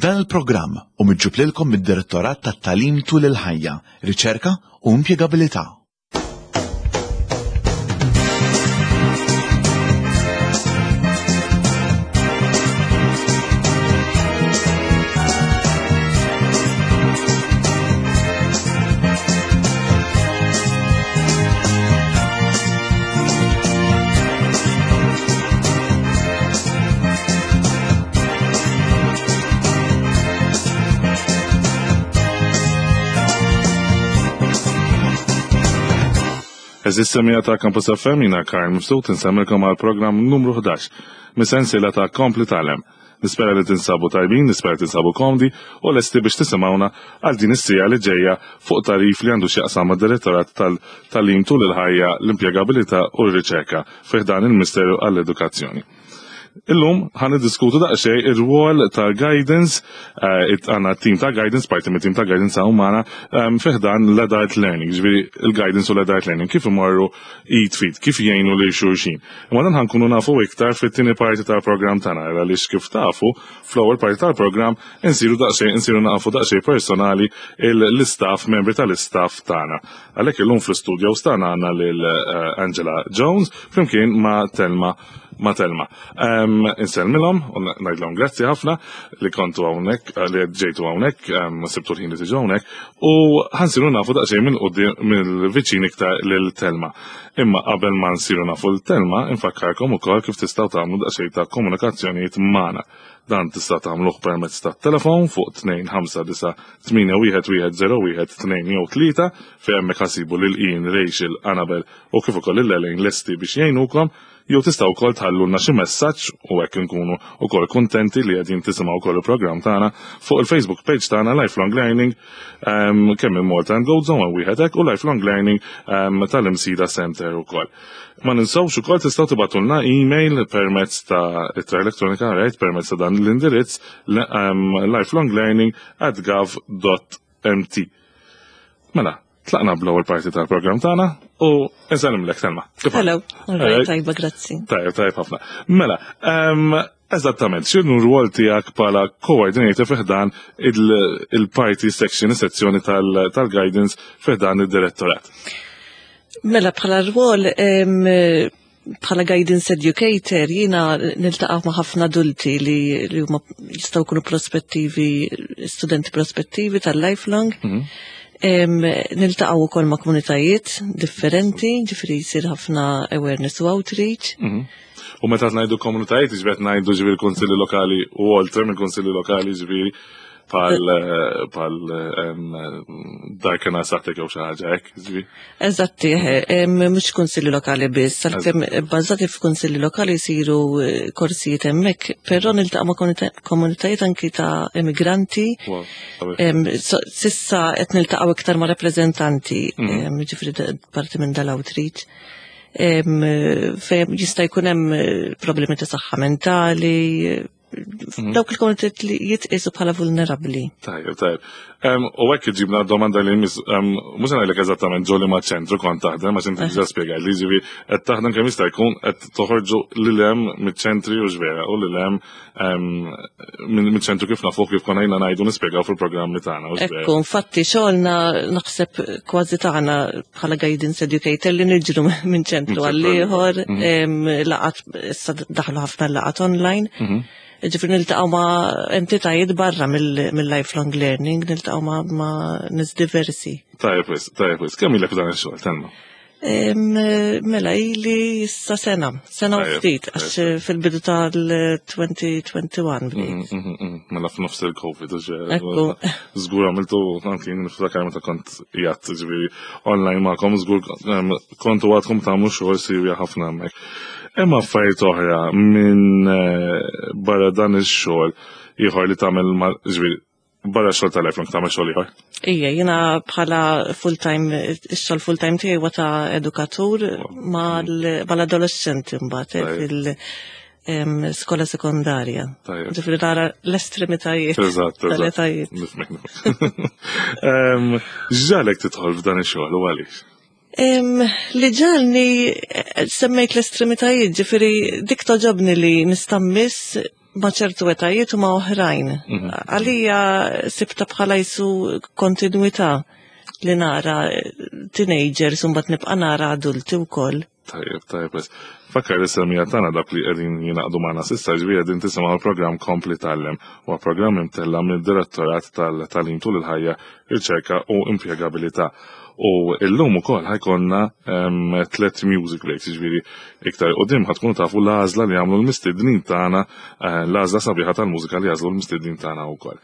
Dan il-programm hu miġġub lilkom mid-Direttorat tat-Tagħlim Tul il-Ħajja, Riċerka u Impjegabilità. Eżis semija ta' Campus FM jina Karl Mifsud insemmilkom għal programm numru 11 mis-sensiela ta' Kompli Talem. Nispera li tinsabu tajbin, nispera tinsabu komdi u lesti biex tisimgħuna għal din is-sija li ġejja fuq tarif li għandu x'jaqsam mad-Direttorat tal-Tagħlim tul il-ħajja, l-impjegabilità u r-riċerka fi ħdan il-Ministeru għall-Edukazzjoni. Illum ħan niddiskutu daqsxejn ir-rwol tal-guidance, eh, għandna team ta' guidance, parti mit-team ta' guidance hawn magħna ehm, fi ħdan l-adult learning, ġifieri il-guidance u l-adult learning, kif imorru id fit, kif jgħinu lil xulxin. Imma dan ħankunu nafu iktar fit-tieni parti tal-programm tagħna, għaliex kif tafu fl-ewwel parti tal-programm insiru daqsxejn insiru nafu daqsxejn personali l-istaff, membri tal-istaff tagħna. Għalhekk illum fl-istudio tagħna għandna lil eh, Angela Jones flimkien ma' Telma ma' Telma. Insellmilhom u ngħidlhom grazzi ħafna li kontu hawnhekk, eh, li ġejtu hawnhekk, sibtu l-ħin li tiġu hawnhekk u ħansiru nafu daqsxejn minn quddiem mill-viċin iktar lil Telma. Imma qabel ma nsiru nafu l Telma, infakkarkom ukoll kif tistgħu tagħmlu daqsxejn ta' komunikazzjonijiet magħna. Dan tista' tagħmluh permezz tat-telefon fuq 259 8110 2 jew 3 fejn hemmhekk ħasibu lil Ian, Rachel, Annabel u kif ukoll lil Elaine lesti biex jgħinukom. Jew tistgħu wkoll tħallulna xi messaġġ u hekk inkunu wkoll kuntenti li qegħdin tisimgħu wkoll il-programm tagħna fuq il-Facebook page tagħna Lifelong Learning ehm, kemm minn Malta and Gold Zone wieħed hekk u Lifelong Learning ehm, tal-Imsida Center ukoll. Ma ninsawx ukoll tistgħu tibatulna email permezz ta' ittra elettronika rajt permezz ta' dan l-indirizz ehm, lifelonglearning at gov.mt. Mela, Tlaqna bl-ewwel parti tal-programm tagħna u nsellimlek Selma. Hello, alright, tajba, grazzi. Tajb, tajb ħafna. Mela, eżattament, x'inhu r-rwol tiegħek bħala coordinator fi ħdan il-party section, is-sezzjoni tal-guidance fi ħdan id-direttorat? Mela, bħala rwol bħala guidance educator jiena niltaqa' ma' ħafna adulti li, li huma jistgħu jkunu prospettivi, studenti prospettivi tal-lifelong. Mm -hmm. Niltaqgħu wkoll ma' komunitajiet differenti, ġifieri jsir ħafna awareness u outreach. Mm -hmm. U meta ngħidu komunitajiet, ġifieri ngħidu ġifieri kunsilli lokali u oltre minn kunsilli lokali ġifieri pal pal darkena saħtek jew xi ħaġa hekk, ġifieri. Eżatti, mhux kunsilli lokali biss, għalkemm bbażati f'kunsilli lokali jsiru eh, korsijiet hemmhekk, però niltaqa' ma' komunitajiet anki ta' immigranti. Sissa qed niltaqgħu iktar ma' rappreżentanti, mhm. ġifieri parti minn dal-outreach. Fejn jista' jkun hemm eh, problemi ta' saħħa mentali, Mhm. Dawk il-komunitajiet li jitqisu bħala vulnerabbli. Tajjeb, tajjeb. U hekk iġibna domanda li mhux ngħidlek eżattament ġoli ma' ċentru kont taħdem għax inti diġà spjegajt li ġifi qed taħdem kemm jista' jkun qed toħorġu lil hemm miċ-ċentri u x'vera u lil hemm miċ-ċentru kif nafuh kif konna jna ngħidu nispjegaw fil-programmi tagħna. Ekku, infatti xogħolna naħseb kważi tagħna bħala guidance educator li niġru minn ċentru għal ieħor, mhm. laqat issa daħlu ħafna laqat online. Mhm. Ġifri niltaqgħu ma' entitajiet barra mill-lifelong learning, niltaqgħu ma' nies diversi. Tajjeb wis, tajjeb wis. Kemm ilek dan ix-xogħol, Telma? Mela ili issa sena, sena u ftit, għax fil-bidu tal-2021 bdejt. Mm, mm, mm, mela f'nofs il-Covid, żgur għamiltu anki niftakar meta kont jgħat ġifieri online magħkom, żgur kontu għadkom tagħmlu xogħol sirja ħafna hemmhekk. Hemm affarijiet oħra minn eh, barra dan ix-xogħol ieħor li tagħmel ġifieri barra xogħol tal-lifelong tagħmel xogħol ieħor. Ija, jiena bħala full-time, ix-xogħol full-time tiegħi huwa ta' edukatur mal-adolescenti mbagħad eh, fil- skola sekondarja. Ġifieri nara l-estremitajiet. Eżatt, eżatt. Nifmek, nifmek. Ġalek tidħol f'dan ix-xogħol u għaliex? Li ġalni eh, semmejt l-estremitajiet, ġifiri dik toġobni li nistammiss. ma' ċertu etajiet u ma' oħrajn. Għalija sibta bħala jisu kontinuità li nara teenagers u mbagħad nibqa' nara adulti wkoll. Tajjeb, tajjeb. Fakkar li semija tagħna dak li qegħdin jingħaqdu magħna s'issa ġifieri qegħdin tisimgħu l-programm Kompli Tgħallem huwa programm imtella' mid-Direttorat tal-Tagħlim tul il-ħajja, Riċerka u Impjegabilità. U illum ukoll ħajkonna tlet music breaks, ġifieri iktar qudiem ħatkunu tafu l-għażla li għamlu l-mistednin tagħna, eh, l-għażla sabiħa tal-mużika li għażlu l-mistednin tagħna wkoll.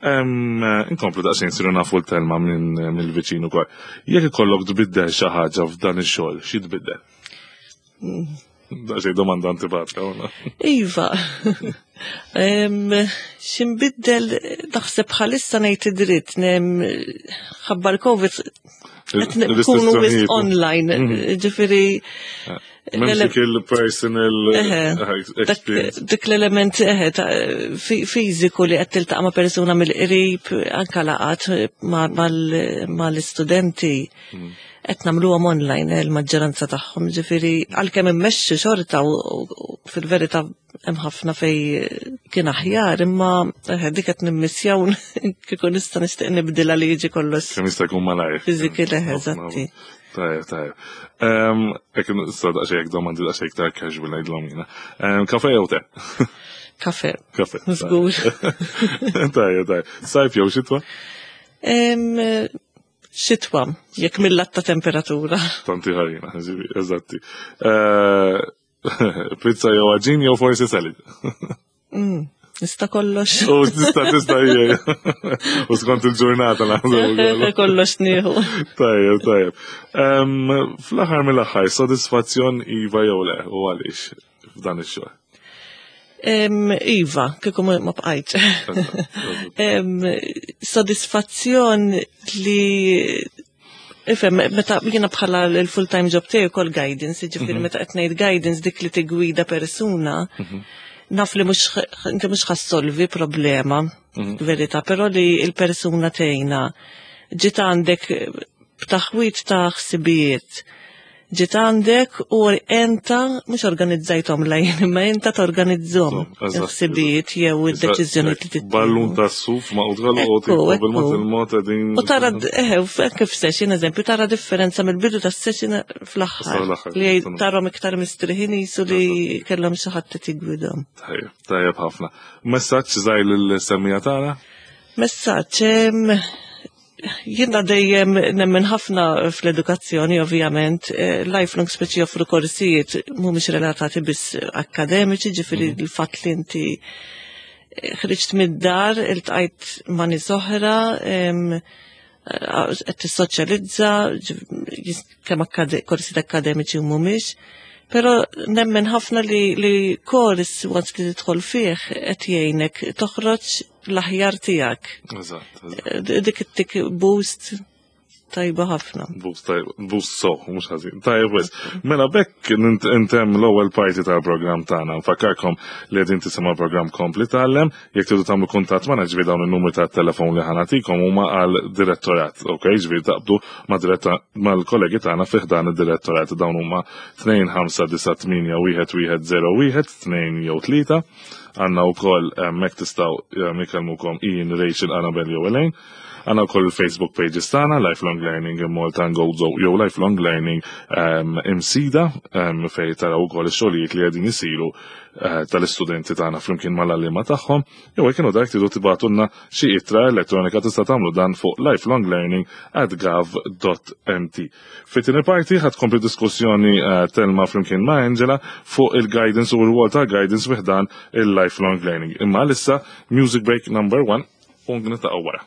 Inkomplu daqsxejn siru nafu l-telma minn mill-viċin ukoll. Jekk ikollok tbiddel xi ħaġa f'dan ix-xogħol, xi tbiddel? Daqsxejn domanda antipatika. Iva. X'inbiddel naħseb bħalissa ngħid id-dritt ħabba l-COVID qed nkunu online, mhm. ġifieri eh. M'hemmx dik il-personal experience. Dik l-element fiżiku li qed tiltaqa' ma' persuna mill-qrib, anka laqat mal-istudenti. Mm. Qed nagħmluhom online eh, il-maġġoranza tagħhom, ġifieri għalkemm immexxi xorta u fil-verità hemm ħafna fej kien aħjar, imma dik qed nimmissjaw kieku nista' nixtieq nibdilha li jiġi kollox. Kemm jista' jkun malajr. Physically, eżatti. Tajjeb, tajjeb. Ek nista' daqsxejn jekk domandi daqsxejn iktar casual ngħidlhom jiena. Kafe jew te? Kafe. Kafe. Żgur. Tajjeb, tajjeb. Sajf jew xitwa? Xitwa, jekk mill-lat ta' temperatura. Tanti ħarina, eżatti. Eh, pizza jew għaġin jew forsi salad. Mm, nista kollox. U tista tista hija. U skont il-ġurnata naħseb. Kollox nieħu. Tajjeb, tajjeb. Fl-aħħar mill-aħħar, sodisfazzjon iva jew le, u għaliex f'dan ix-xogħol? Iva, kieku ma bqajt. Sodisfazzjon li Ifhem, meta jiena bħala l-full-time job tiegħi ukoll guidance, jiġifieri mhm. meta qed ngħid guidance dik li tigwida persuna, mhm. naf li mhux inti mhux ħassolvi problema, mhm. verità, però li l-persuna tgħinha ġiet għandek b'taħwit ta' ħsibijiet ġiet għandek u enta mhux organizzajthom lejn imma enta torganizzhom il-ħsibijiet jew id-deċiżjoni li tittu. Ballun ta' suf ma' u bil-mod il-mod qegħdin. U tara eħe anke f'session eżempju tara differenza mill-bidu tas-session fl-aħħar li tarhom iktar mistriħin jisu li kellhom xi ħadd qed jigwidhom. Tajjeb, tajjeb ħafna. Messaġġ żgħir lill-semmija tagħna? Messaġġ Jiena dejjem nemmen ħafna fl-edukazzjoni, ovvjament. Eh, lifelong speċi joffru korsijiet mhumiex relatati biss akademiċi, ġifieri mhm. l-fatt li inti eh, ħriġt mid-dar, iltqajt ma' nies oħra, eh, qed tissoċjalizza, kemm korsijiet akademiċi u mhumiex. Però nemmen ħafna li, li kors once li tidħol fih qed jgħinek toħroġ l-aħjar tiegħek. Eżatt. Eh, dik it-tik boost tajba ħafna. Boost tajba, boost so, mhux ħażin. Tajba wis. Mela bekk intem l-ewwel parti tal-programm tagħna. Nfakkarkom li qegħdin tisimgħu programm kompli tgħallem, jekk tridu tagħmlu kuntatt magħna ġifieri dawn in-numri tat-telefon li ħanatikom huma għal direttorat, ok? Ġifieri taqbdu mal-kollegi tagħna fih dan id-direttorat dawn huma 2 5 9 8 1 1 0 1 2 jew 3. Għanna u koll mek tistaw jikellmukom Ian, Rachel, Annabel jew Elaine. Għanna u koll il-Facebook pages tagħna, Lifelong Learning in Malta and Gozo jew Lifelong Learning Imsida fej taraw ukoll ix-xogħlijiet li qegħdin isiru eh, tal-istudenti tagħna flimkien mal-għalliema tagħhom. Jew jekk dak tridu tibgħatulna xi ittra elettronika tista' tagħmlu dan fuq lifelonglearning@gov.mt. Fit-tieni parti ħad tkompli diskussjoni eh, Telma flimkien ma' Angela fuq il-guidance u r-rwol tal-guidance fi ħdan il-lifelong learning. Imma issa music break number one u nitaqgħu wara.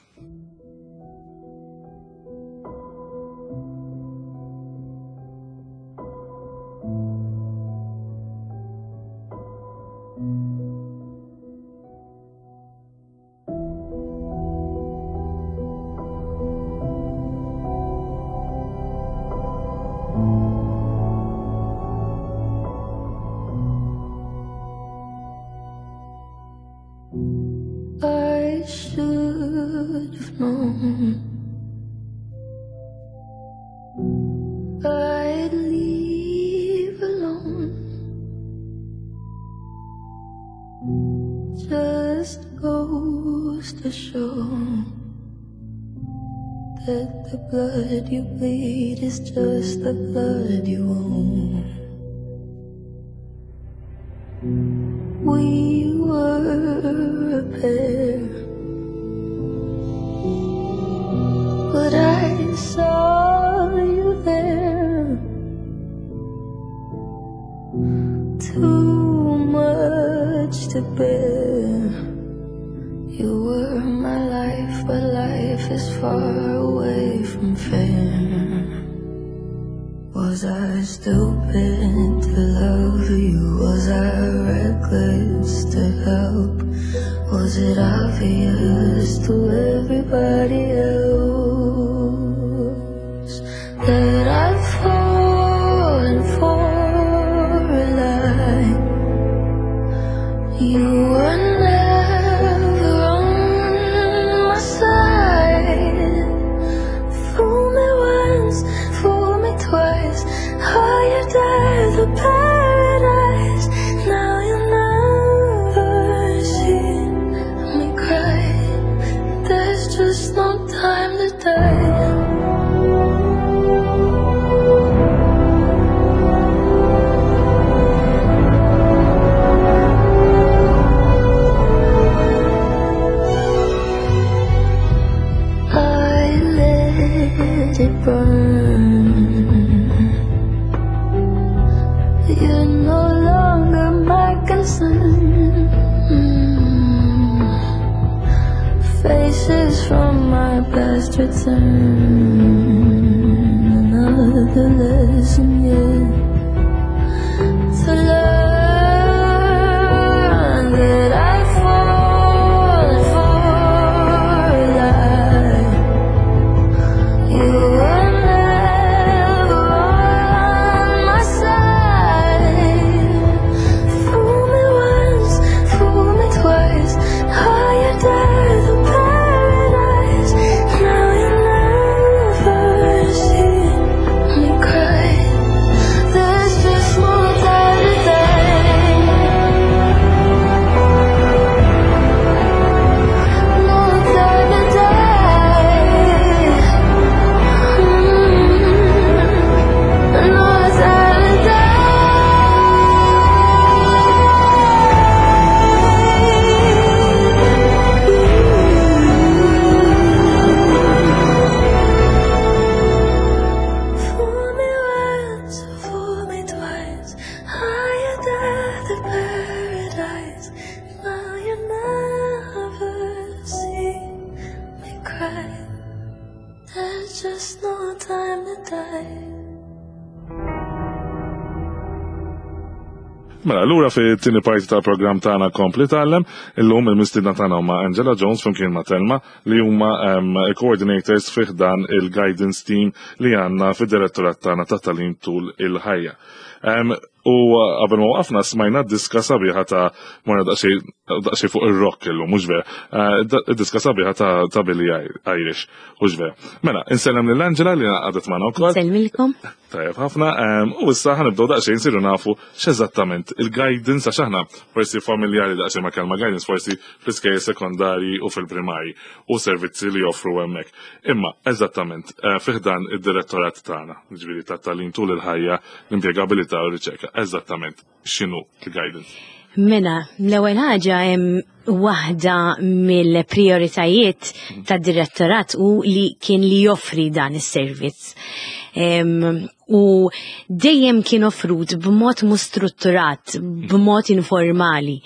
I should have known I'd leave alone. show that the blood you bleed is just the blood you own. We were a pair, but I saw you there. Too much to bear. You were my life, but life is far away from fair. Was I stupid to love you? Was I reckless to help? Was it obvious to everybody else that I've fallen for a lie? You were never on my side. Fool me once, fool me twice. Oh, you died the paradise. Now you'll never see me cry. There's just no time to die. I let it burn. You're no longer my concern. Faces from my past return. Another lesson yet to learn that I've fallen for a lie. You were never on my side. Fool me once, fool me twice. Oh, you died the paradise. Now you'll never see me cry. There's just no time to die. No time to die. No time to die. Fool me once, fool me twice. I died the paradise. Now you never see me cry. There's just no time to die. Mela, lura fit-tieni parti tal-programm tagħna Kompli Tgħallem, illum il-mistiedna tagħna huma Angela Jones flimkien ma' Telma li huma coordinators fih dan il-guidance team li għandna fid-direttorat tagħna ta' tagħlim tul il-ħajja. U qabel ma waqafna smajna diska sabiħa ta' morna daqsxejn fuq ir-rock illum, mhux vera. Diska sabiħa ta' Billie Eilish, mhux vera. Mela, insellem lil Angela li għadet magħna wkoll. Insellmilkom. Tajjeb ħafna, u issa ħa nibdew daqsxejn nsiru nafu x'eżattament il-guidance, għax aħna forsi familjari daqsxejn ma' kelma guidance, forsi fl-iskejjel sekondari u fil-primari u servizzi li joffru hemmhekk. Imma eżattament fih dan id-direttorat tagħna, jiġifieri ta' tagħlim tul il-ħajja, l-impjegabilità u r-riċerka, eżattament x'inhu il-guidance? Mela, l-ewwel ħaġa hemm waħda mill-prioritajiet tad-direttorat u li kien li joffri dan is-servizz. U dejjem kien offrut b'mod mhux strutturat, b'mod informali.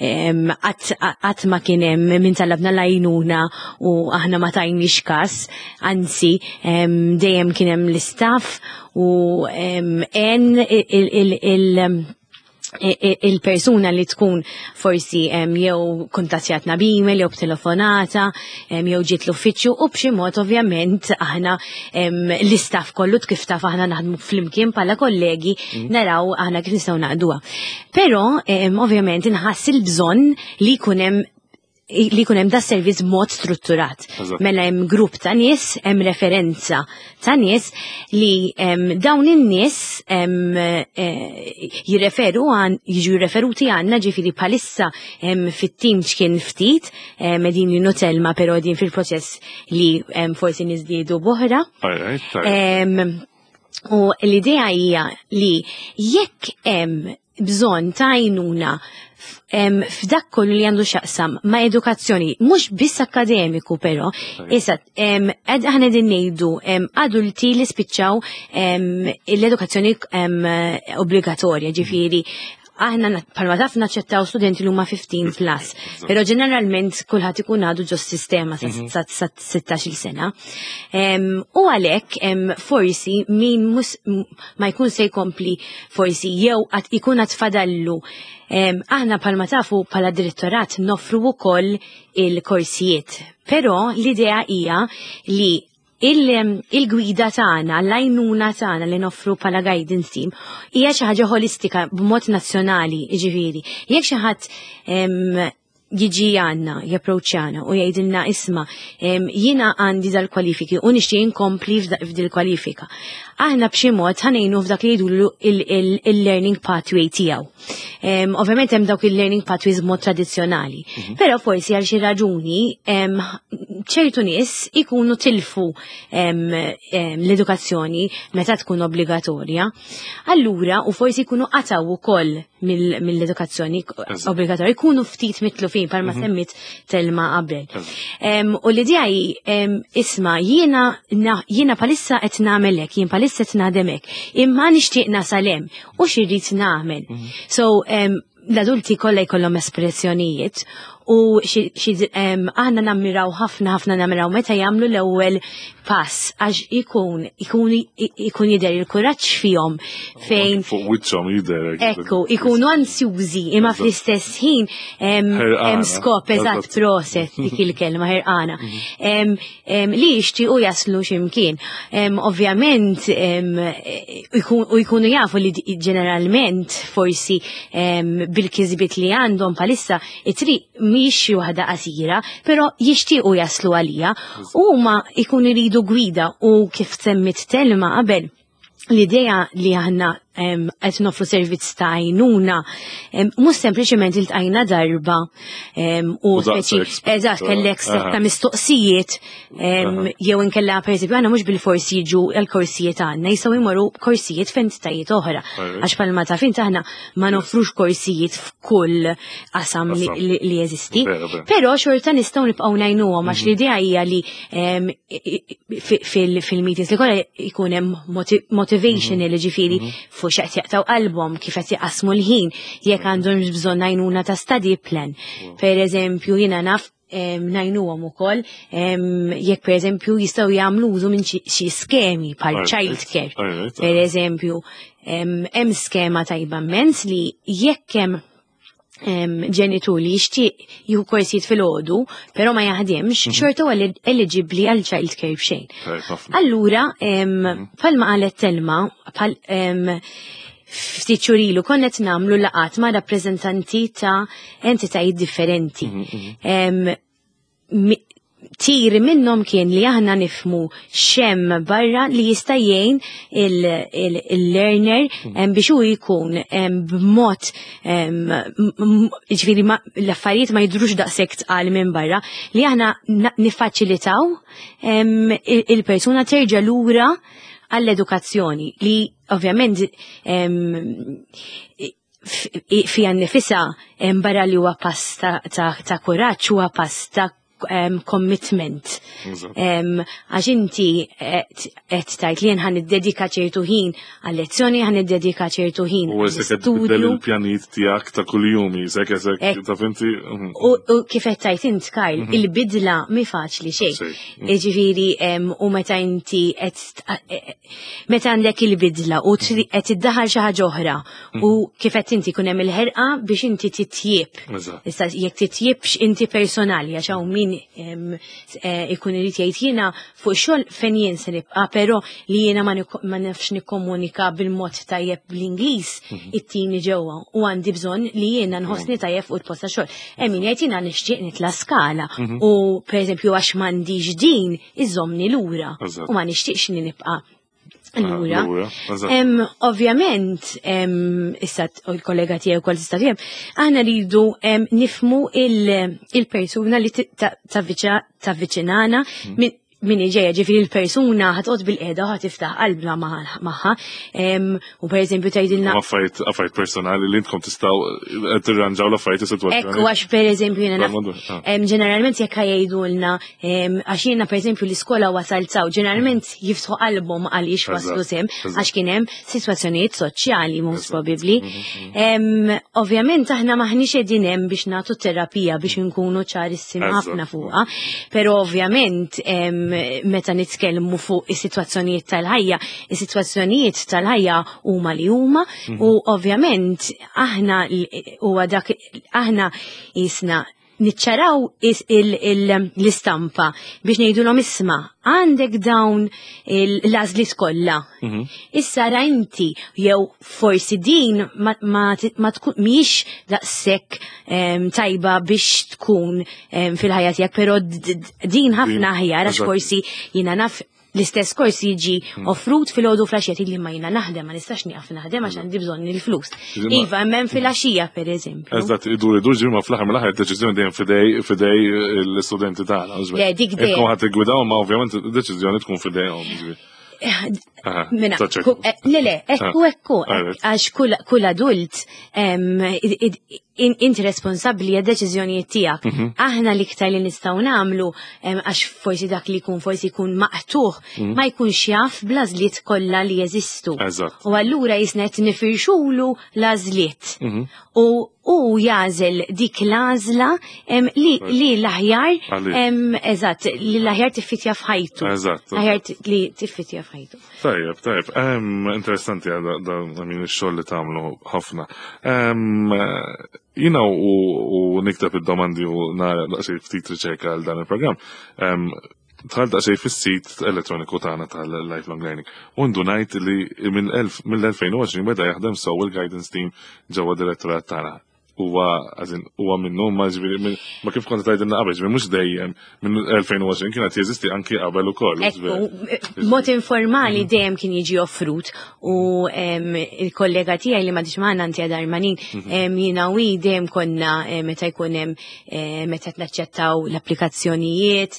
Qatt ma kien hemm min talabna l-għajnuna u aħna ma tajniex każ, anzi dejjem kien hemm l-istaff u en il-persuna li tkun forsi jew kuntattjatna b'email jew b'telefonata jew ġiet l-uffiċċju u b'xi mod ovvjament aħna l-istaff kollu kif taf aħna naħdmu flimkien bħala kollegi naraw aħna kif nistgħu naqduha. Però ovvjament inħass il-bżonn li jkun hemm li jkun hemm da servizz mod strutturat. Mela hemm grupp ta' nies, hemm referenza ta' nies li dawn in-nies jirreferu għan jiġu referuti għandna ġifieri bħalissa fit-tim x'kien ftit qegħdin jinnutelma però din fil-proċess li forsi niżdiedu boħra. U l-idea hija li jekk hemm bżonn ta' għajnuna f'dak kollu li għandu xaqsam ma' edukazzjoni, mhux biss akademiku però, issa aħna din ngħidu adulti li spiċċaw l-edukazzjoni obbligatorja, ġifieri aħna palma taf naċċettaw studenti li huma 15 plus, però ġeneralment kulħadd ikun għadu ġo sistema sa 16 sena. U għalhekk forsi min ma jkun se jkompli forsi jew għad ikun għad fadallu. Aħna palma tafu pala direttorat nofru wkoll il-korsijiet, però l-idea hija li il-gwida tagħna, l-għajnuna tagħna li noffru pala guidance team hija xi ħaġa holistika b'mod nazzjonali, jiġifieri. Jekk xi ħadd jiġi għandna, japproċċjana u jgħidilna isma' jiena għandi dal-kwalifiki u nixtieq inkompli f'dil kwalifika. Aħna b'xi mod ħanejnu f'dak li jgħidulu il-learning pathway tiegħu. Ovvjament hemm dawk il-learning pathways b'mod tradizzjonali, però forsi għal xi raġuni ċertu nies ikunu tilfu l-edukazzjoni meta tkun obbligatorja. Allura, u forsi jkunu qataw ukoll mill-edukazzjoni obbligatorja, jkunu ftit mitlufin palma semmit Telma qabel. U l-idea hi, isma' jiena palissa qed nagħmel hekk, jien palissa qed naħdem hekk, imma nixtieq nasal hemm u x'irrid nagħmel. So, l-adulti kollha jkollhom espressjonijiet u aħna nammiraw ħafna ħafna nammiraw meta jagħmlu l-ewwel pass għax ikun jidher il-kuraġġ fihom fejn fuq wiċċhom jidher hekk. Ekku, ikunu ansjużi imma fl-istess ħin hemm skop eżatt proset dik il-kelma ħerqana. Li jixtiequ jaslu x'imkien. Ovvjament u jkunu jafu li ġeneralment forsi bil-kisbiet li għandhom palissa it-triq mhix xi waħda qasira, però jixtiequ jaslu għalija. U huma jkunu jridu gwida u kif semmit Telma qabel, l-idea li aħna qed nofru servizz ta' għajnuna, mhux sempliċement iltqajna darba u U daqshekk speċi, eżatt, kellek setta mistoqsijiet, jew inkella pereżempju aħna mhux bil-forsi jiġu l-korsijiet għandna, jistgħu jmorru korsijiet f'entitajiet oħra. Għax palma ta' fint aħna ma nofrux korsijiet f'kull qasam li jeżisti. Vera, vera. Però xorta nistgħu nibqgħu ngħinuhom għax l-idea hija li fil-meetings li kollha jkun hemm motivation li ġifieri fuq x'qed jaqtaw qalbhom, kif qed jaqasmu l-ħin, jekk għandhom bżonn għajnuna ta' study plan. Per eżempju, jiena naf ngħinuhom ukoll jekk per eżempju jistgħu jagħmlu użu minn xi skemi bħal child care. Per eżempju, hemm skema tajba immens li jekk hemm ġenitur li jixtieq jieħu korsijiet filgħodu, però ma jaħdimx, xorta huwa eligibbli għal child care b'xejn. Tajjeb ħafna. Allura, bħalma qalet Telma, bħal ftit xhur ilu konna qed nagħmlu laqgħat ma' rappreżentanti ta' entitajiet differenti. Tir minnhom kien li aħna nifmu x'hemm barra li jista' jgħin il-learner biex hu jkun b'mod ġifieri l-affarijiet ma jidhrux daqshekk tqal minn barra li aħna niffaċilitaw il-persuna terġa' lura għall-edukazzjoni li ovvjament fija nnifisha barra li huwa pass ta' kuraġġ huwa pass ta' commitment. Għax inti qed tgħid li jien ħa niddedika ċertu ħin għal-lezzjoni, ħa niddedika ċertu ħin U qed għall-istudju. tbiddel il-pjanijiet tiegħek ta' kuljum, isek, taf inti, U kif qed tgħid int, Karl, il-bidla mi faċli xejn. Jiġifieri, u meta inti qed meta għandek il-bidla u qed tiddaħħal xi ħaġa oħra u kif qed inti jkun hemm il-ħerqa biex inti titjieb. Issa jekk titjibx inti personali għax hawn min min ikun irid jgħid jiena fuq xogħol fejn jien se nibqa', però li jiena ma nafx nikkomunika bil-mod tajjeb bl-Ingliż it-tini ġewwa u għandi bżonn li jiena nħossni tajjeb fuq il-post ta' xogħol. Hemm min jgħid jiena nixtieq nitla' skala u pereżempju għax m'għandix din iżommni lura u ma nixtieqx li nibqa' lura. Ovvjament, issa il-kollega tiegħi wkoll tista' tifhem, aħna rridu nifmu il-persuna li tavviċinana min ġejja, ġifieri l-persuna ħa toqgħod bilqiegħda u ħa tiftaħ qalbna magħha. U pereżempju tgħidilna Affarijiet personali li intkom tistgħu tirranġaw l-affarijiet is-sitwazzjoni. Ekku, għax pereżempju jiena ġeneralment jekk jgħidulna għax jiena pereżempju l-iskola wasalt saw, ġeneralment jiftħu qalbhom għaliex waslu s'hemm, għax kien hemm sitwazzjonijiet soċjali most probably. Ovvjament aħna maħniex qegħdin hemm biex nagħtu terapija biex nkunu ċarissimi ħafna fuqha, però ovvjament meta nitkellmu fuq is-sitwazzjonijiet tal-ħajja, is-sitwazzjonijiet tal-ħajja huma li huma u ovvjament aħna huwa dak aħna jisna niċċaraw l-istampa biex ngħidulhom isma' għandek dawn l-għażliet kollha. Issa ra inti jew forsi din ma tkun mhijiex daqshekk tajba biex tkun fil-ħajja tiegħek, però din ħafna aħjar għax forsi jiena naf l-istess kors jiġi offrut filgħodu filgħaxija li ma jiena naħdem, ma nistax nieqaf naħdem għax għandi bżonn il-flus. Iva, hemm filgħaxija pereżempju. Eżatt, idur idur ġimgħa fl-aħħar mill-aħħar deċiżjoni dejjem fidej l-istudenti tagħna. Le, dik dejjem. Intkom ħadd tiggwidaw, ma ovvjament id-deċiżjoni tkun fidejhom. Mela, le, le, ekku, ekku, għax kull adult inti responsabbli għad deċiżjonijiet tiegħek. Aħna l-iktar li nistgħu nagħmlu għax forsi dak li jkun forsi jkun maqtuħ ma jkunx jaf bl-għażliet kollha li jeżistu. U allura jisna qed nifirxulu l-għażliet. U u jagħżel dik l-għażla li l-aħjar, eżatt, li l-aħjar tiffitja f'ħajtu. L-aħjar li tiffitja f'ħajtu. Tajjeb, tajjeb. Interessanti da min ix-xogħol li tagħmlu ħafna. Jiena u nikteb id-domandi u nara daqsxejn ftit riċerka għal dan il-programm. Dħalt daqsxejn fis-sit elettroniku tagħna tal-Lifelong Learning. U ndunajt li mill-2020 beda jaħdem sew il-guidance team ġewwa direttorat tagħna. Huwa minnu, ma ġifieri, ma kif kont tgħidilna qabel, ġifieri mhux dejjem minn 2020 kienet jeżisti anki qabel ukoll. Ekku, mod informali dejjem kien jiġi offrut u il-kollega tiegħi li m'għadix magħna Antia Darmanin, jiena u dejjem konna meta jkun hemm meta naċċettaw l-applikazzjonijiet,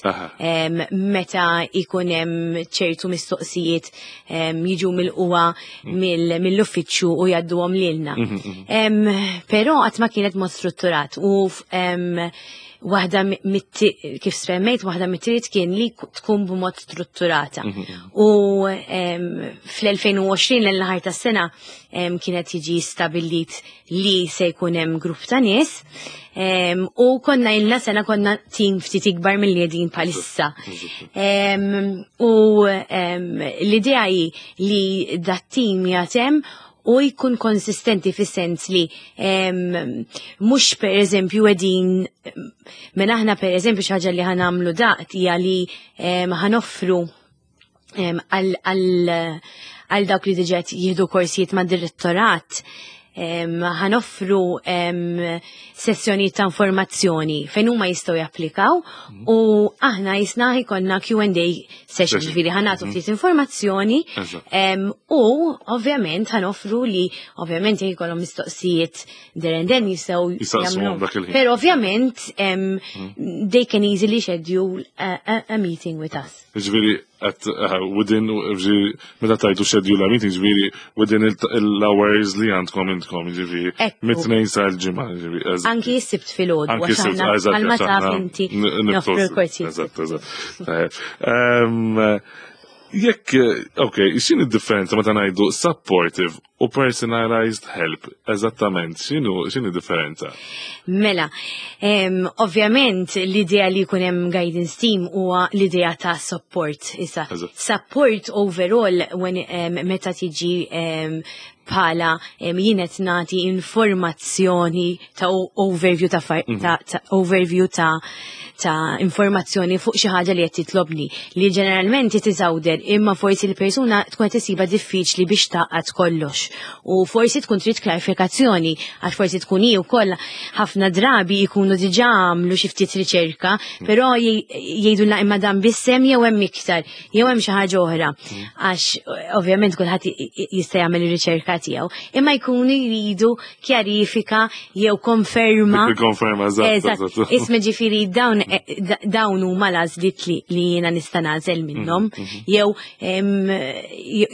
meta jkun hemm ċertu mistoqsijiet jiġu mill-qwa mill-uffiċċju u jgħadduhom lilna. Però qatt ma kienet mod strutturat u waħda kif semmejt, waħda mit-trid kien li tkun b'mod strutturata. U fl-2020 l-aħħar tas-sena kienet jiġi stabbilit li se jkun hemm grupp ta' nies u konna ilna sena konna tim ftit ikbar mill-li qegħdin bħalissa. U l-idea hi li dat tim jatem u jkun konsistenti fis-sens li mhux per eżempju qegħdin minn aħna per eżempju xi ħaġa li ħa nagħmlu daqt hija li ħa noffru għal dawk li diġà jieħdu korsijiet ma' direttorat ħa noffru sessjoni ta' informazzjoni fejn huma jistgħu japplikaw u aħna jisna jkollna Q&A session, ġifieri ħa nagħtu ftit informazzjoni u ovvjament ħa noffru li ovvjament jekk ikollhom mistoqsijiet there and then jistgħu Jistaqsuhom jagħmlu. Dak il-ħin. Però ovvjament they can easily schedule a meeting with us. Ġifieri, at within, ġifieri, meta tajtu schedule a meeting, ġifieri, within il-hours li għandkom intkom, ġifieri, mit-tnejn sal-ġimgħa, ġifieri, eżatt. Anki s-sibt filgħodu, Anki għax s-sibt, aħna eżatt, bħalma għax taf aħna inti niftu noffru l-korsijiet. Eżatt, eżatt. Tajjeb. Jekk, ok, x'inhi d-differenza meta ngħidu supportive u personalized help? Eżattament, x'inhi differenza? Mela, ovvjament l-idea li jkun hemm guidance team huwa l-idea ta' support. Issa, support overall when meta tiġi bħala jien qed nagħti informazzjoni ta' overview ta', ta, ta overview ta' ta' informazzjoni fuq xi ħaġa li qed titlobni li ġeneralment titawder, imma forsi l-persuna tkun qed isibha diffiċli biex taqgħad kollox u forsi tkun trid klarifikazzjoni, għax forsi tkun hi wkoll ħafna drabi jkunu diġà għamlu xi ftit riċerka, però jgħidu imma dan bissem jew hemm iktar jew hemm xi ħaġa oħra. Għax ovvjament kulħadd jista' jagħmel ir-riċerka tiegħu, imma jkunu jridu kjarifika jew konferma. Konferma, eżatt. Isma' ġifieri dawn huma l-għażliet li jiena nista' nagħżel minnhom, jew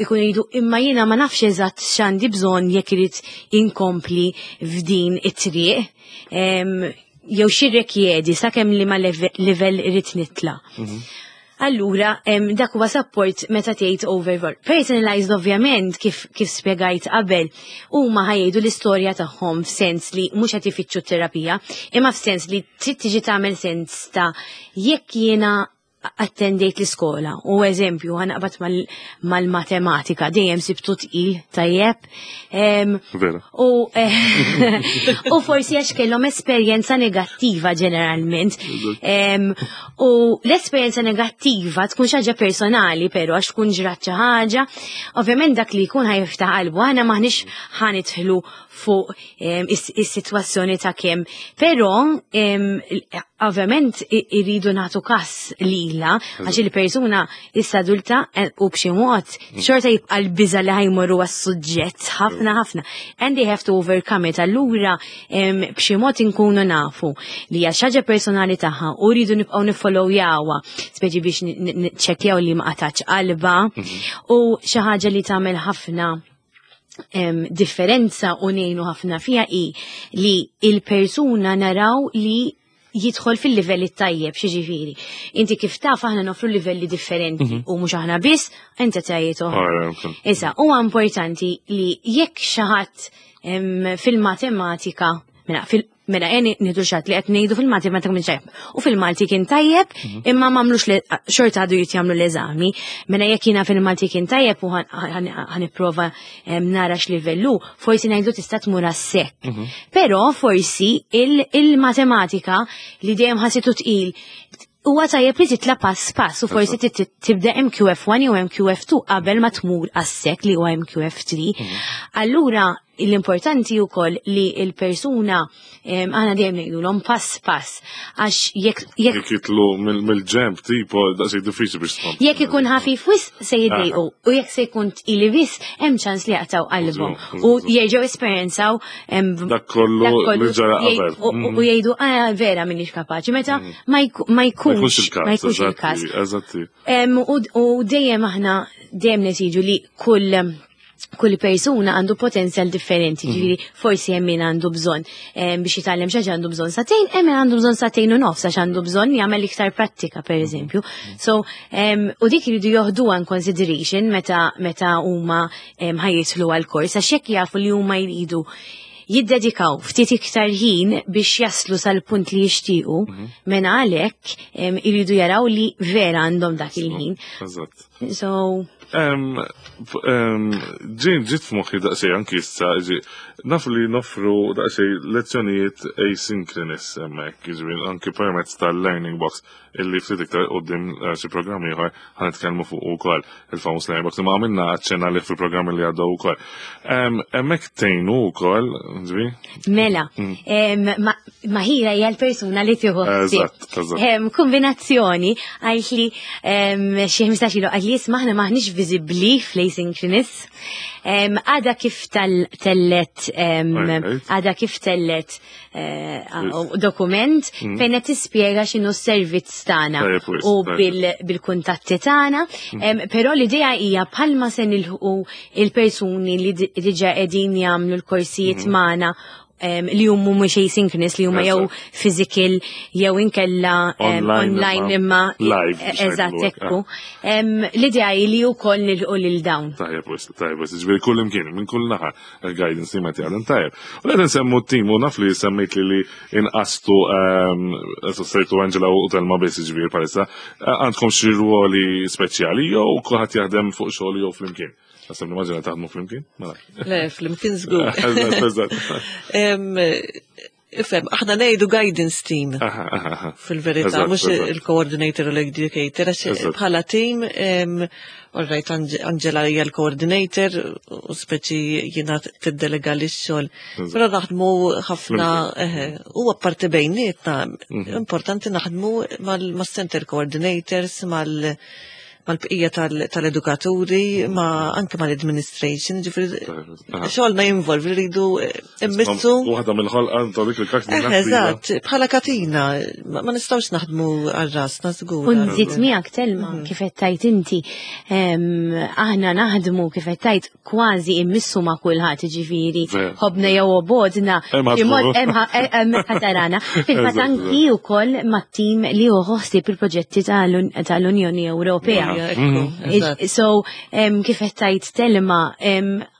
ikunu jridu imma jiena ma nafx eżatt x'għandi bżonn jekk irid inkompli f'din it-triq jew xi sakemm li ma livell irid nitla'. Allura, dak huwa support meta tgħid overall. Personalized ovvjament, kif spjegajt qabel, huma ħa jgħidu l-istorja tagħhom f'sens li mhux qed ifittxu terapija, imma f'sens li trid tiġi tagħmel sens ta' jekk jiena attendejt l-iskola u, eżempju, ħa naqbad mal-matematika, dejjem sibtu tqil, tajjeb. U forsi għax kellhom esperjenza negattiva ġeneralment. U l-esperjenza negattiva tkun xi ħaġa personali, però għax tkun ġrat xi ħaġa, ovvjament dak li jkun ħa jiftaħ qalbu, aħna maħniex ħa nidħlu fuq is-sitwazzjoni ta' kemm. Però ovvjament irridu nagħtu kas lila għax il-persuna issa adulta u b'xi mod xorta jibqa' l-biża li ħa jmorru għas-suġġett ħafna ħafna. And they have to overcome it. Allura b'xi mod inkunu nafu li hija xi ħaġa personali tagħha u rridu nibqgħu nifollowjawha, speċi biex niċċekkjaw li ma qatax qalba, u xi ħaġa li tagħmel ħafna differenza u ngħinu ħafna fija i li il-persuna naraw li jidħol fil-livelli tajjeb, xiġifieri. Inti kif taf, aħna nofru livelli differenti u mhux aħna biss, inti tajiet oħra. Issa, huwa importanti li jekk xi ħadd fil-matematika, mela eni nidu xat li qed ngħidu fil-matematika minn tajjeb. U fil-Malti kien tajjeb, imma m'għamlux xorta għadu jitjamlu l-eżami. Mela jekk jiena fil-Malti kien tajjeb u ħa nipprova nara x'livellu, forsi ngħidu tista' tmur għas-SEC. Però forsi il-matematika li dejjem ħassitu tqil, huwa tajjeb li titla pass pass u forsi tibda MQF1 jew MQF2 qabel ma tmur għas-SEC li huwa MQF3. Allura l-importanti wkoll li il-persuna, aħna dejjem ngħidulhom pass pass, għax jekk Jekk jitlu mill-ġemp, tipo, daqsxejn diffiċli biex tkompli. Jekk ikun ħafif wisq se jiddejqu u jekk se jkun tqili wisq hemm ċans li jaqtaw qalbhom u jerġgħu esperjenzaw Dak kollu dak kollu li ġara qabel. U jgħidu, "Ah, vera minix kapaċi," meta ma Ma jkunx jkunx il-każ. Ma jkunx il-każ. Eżatti. U dejjem aħna dejjem nesiġu li kull persuna għandu potenzjal differenti, ġifieri forsi hemm min għandu bżonn biex jitgħallem xi ħaġa għandu bżonn sagħtejn, hemm min għandu bżonn sagħtejn u nofs għax għandu bżonn jagħmel iktar prattika, per eżempju. So, u dik iridu joħduha in consideration meta huma ħa jidħlu għal-kors, għax jekk jafu li huma jridu jiddedikaw ftit iktar ħin biex jaslu sal-punt li jixtiequ, mela għalhekk iridu jaraw li vera għandhom dak il-ħin. So, Ġiet f'moħħi daqsxejn anki issa, naf li noffru daqsxejn lezzjonijiet asynchronous hemmhekk, jiġifieri anki permezz tal-learning box illi ftit iktar quddiem xi programm ieħor ħa nitkellmu fuq ukoll, il-famuż learning box, imma għamilna aċċenna li fil-programm li għaddew ukoll. Hemmhekk tgħinu wkoll, ġifieri? Mela, Maħira hija l-persuna li tieħu ħsieb. Eżatt, eżatt. Kombinazzjoni għajt li xi 15 ilu għalt li isma' aħna maħniex viżibbli fl-asynchronous. Għada kif tellet għada kif tellet dokument fejn qed tispjega x'inhu s-servizz tagħna Tajjeb, wis, u tajjeb. bil-kuntatti tagħna. Però l-idea hija bħalma se nilħqu il-persuni li diġà qegħdin jagħmlu l-korsijiet magħna. li huma mhux asynchronous, li huma jew physical jew inkella online imma live. Eżatt, ekku. L-idea hi li wkoll nilqu lil dawn. Tajjeb, tajjeb, ġifieri kull imkien, minn kull naħa il-guidance team qed jaħdem tajjeb. U qed nsemmu t-tim u naf li semmejt li inqastu sejtu Angela u Telma biss, ġifieri palissa, għandkom xi ruoli speċjali jew kulħadd jaħdem fuq xogħol jew flimkien? Għasab nimmaġina taħdmu flimkien? Mela. Le, flimkien żgur. Ifhem, aħna ngħidu guidance team. Fil-verità, mhux il-coordinator u l-educator, għax bħala team, all right, Angela hija l-coordinator u speċi jiena tiddelega li x-xogħol. Però naħdmu ħafna, u apparti bejnietna, importanti naħdmu mal-center coordinators, mal-bqija tal-edukaturi, ma anke mal-administration, ġifieri xogħolna jinvolvi rridu immissu. Waħda mill-ħolqa ta' dik il-kaxna. Eżatt, bħala katina, ma nistgħux naħdmu għal rasna żgur. U nżid miegħek, Telma, kif qed tajt inti, aħna naħdmu, kif qed tajt, kważi immissu ma' kulħadd, ġifieri ħobna jew obodna, hemm ħatarana. Fil-fatt anki wkoll mat-tim li hu ħossib il-proġetti tal-Unjoni Ewropea. So, kif qed tajt, Telma,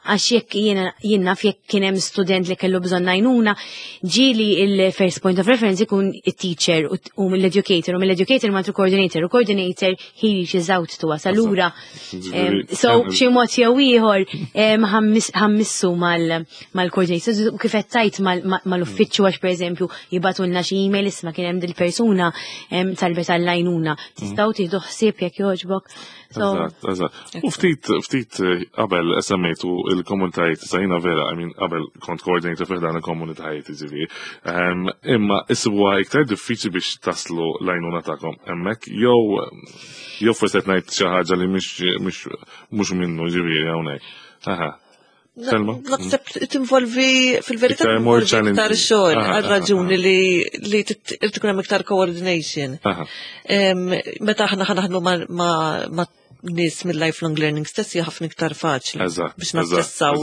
għax jekk jien naf jekk kien hemm student li kellu bżonn għajnuna, ġieli il-first point of reference ikun it-teacher u mill-educator, u mill-educator ma coordinator, u coordinator he reaches out to us. Allura, so b'xi mod jew ieħor ħammissu mal-coordinator. Kif qed tajt mal-uffiċċju, għax pereżempju jibagħtulna xi email, isma' kien hemm dil-persuna talbet għall-għajnuna. Tistgħu tieħdu ħsieb jekk jogħġbok? Eżatt, eżatt. U ftit qabel semmejtu il-komunitajiet, sajna vera, I mean, qabel kont coordinator fi dan il-komunitajiet, ġifieri. Imma issibuha iktar diffiċli biex taslu l-għajnuna tagħkom hemmhekk, jew forsi qed ngħid xi ħaġa li mhux minnu, ġifieri hawnhekk. Aha. Selma? Naħseb tinvolvi fil-verità Iktar more tinvolvi iktar challenging. xogħol għal raġuni li irid ikun hemm iktar coordination. Meta aħna ħa naħdmu ma' nies mill-lifelong learning stess hija ħafna iktar faċli biex naċċessaw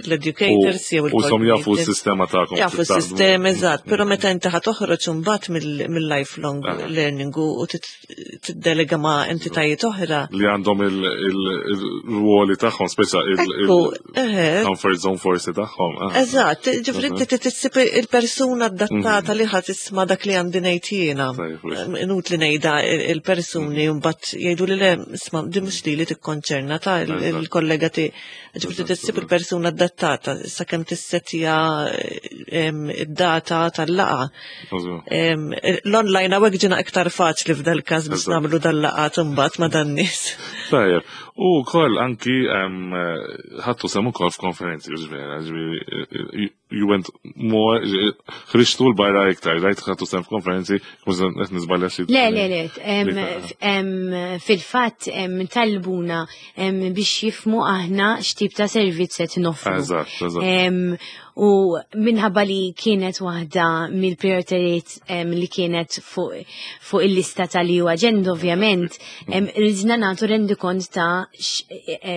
l-educators jew U som jafu il-coordinators. s-sistema tagħkom Jafu kif taħdmu. s-sistema, eżatt, però meta inti ħa toħroġ imbagħad mill-lifelong learning u tiddelega ma' entitajiet oħra. Li għandhom il-ruoli tagħhom, speċa il-comfort zone forsi tagħhom. Eżatt, ġifieri inti tissib il-persuna adattata li ħa tisma' dak li għandi ngħid jiena. Inutli ngħidha il-persuni mbagħad jgħidu li le, isma' di mhux li tikkonċerna ta' il-kollega ti. Ġifieri tissib il-persuna adattata sakemm tissetja id-data tal-laqgħa. L-online hawnhekk ġina iktar faċli f'dal każ biex nagħmlu dal-laqgħat imbagħad ma' dan nies. Tajjeb, u wkoll anki ħadtu sehem ukoll f'konferenzi, ġifieri, ġifieri, you went more, ħriġtu l-barra iktar, rajt ħadtu sehem f'konferenzi, mhux qed niżbalja xi. Le, le, le, fil-fatt talbuna biex jifmu aħna x'tip ta' servizz qed noffru. Eżatt, eżatt. U minħabba li kienet waħda mill-prioritajiet li kienet fuq il-lista tal-EU agenda, ovvjament, ridna nagħtu rendikont ta'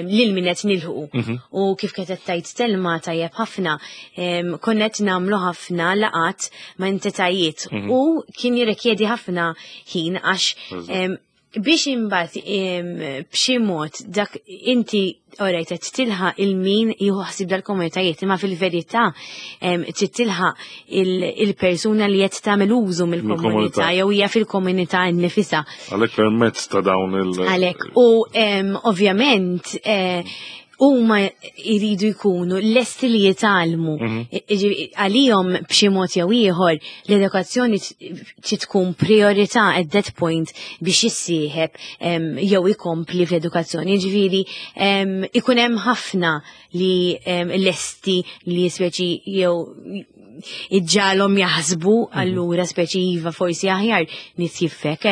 lil min qed nilħu. U kif kienet tajt Telma tajjeb ħafna, konna qed nagħmlu ħafna laqat ma' entitajiet u kien jirrikjedi ħafna ħin għax biex imbagħad b'xi mod dak inti orajt qed tilħaq il-min jieħu ħsieb dal-komunitajiet, imma fil-verità trid tilħaq il-persuna li qed tagħmel użu mill-komunità Mill-komunità. jew hija fil-komunità nnifisha. Għalhekk permezz ta' dawn il- Għalhekk u ovvjament huma jridu jkunu lesti li jitgħallmu. Għalihom b'xi mod jew ieħor l-edukazzjoni trid tkun priorità at that point biex jissieħeb jew ikompli fl-edukazzjoni. Ġifieri ikun hemm ħafna li lesti li speċi jew iġġalhom jaħsbu allura speċi iva forsi aħjar nitjiffek,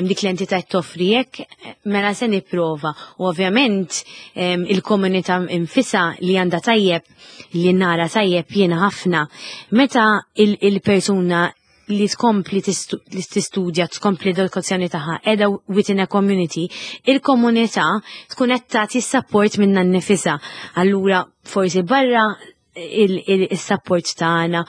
dik l-entità toffri hekk, mela se nipprova. U ovvjament il-komunità infisa li għandha tajjeb, li nara tajjeb jiena ħafna, meta il-persuna li tkompli li tistudja, tkompli l-edukazzjoni tagħha qiegħda within a community, il-komunità tkun qed tagħti support minna nnifisha. Allura forsi barra il-support tagħna